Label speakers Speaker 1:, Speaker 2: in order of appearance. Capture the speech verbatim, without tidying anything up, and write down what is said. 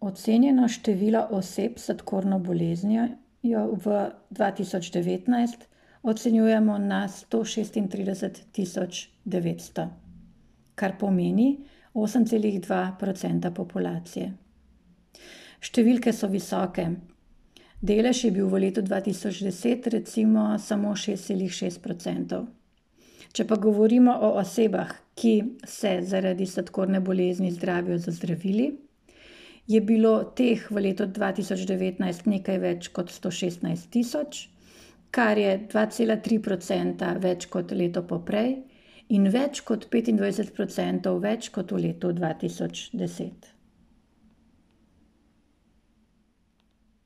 Speaker 1: Ocenjeno število oseb s sladkorno boleznijo v dva tisoč devetnajst ocenjujemo na sto šestintrideset tisoč devetsto, kar pomeni osem celih dva procenta populacije. Številke so visoke. Delež je bil v letu dva tisoč deset recimo samo šest celih šest procentov. Če pa govorimo o osebah, ki se zaradi sladkorne bolezni zdravijo z zdravili, je bilo teh v letu dva tisoč devetnajst nekaj več kot sto šestnajst tisoč, kar je dva cela tri procenta več kot leto poprej in več kot petindvajset procentov več kot v letu dva tisoč deset.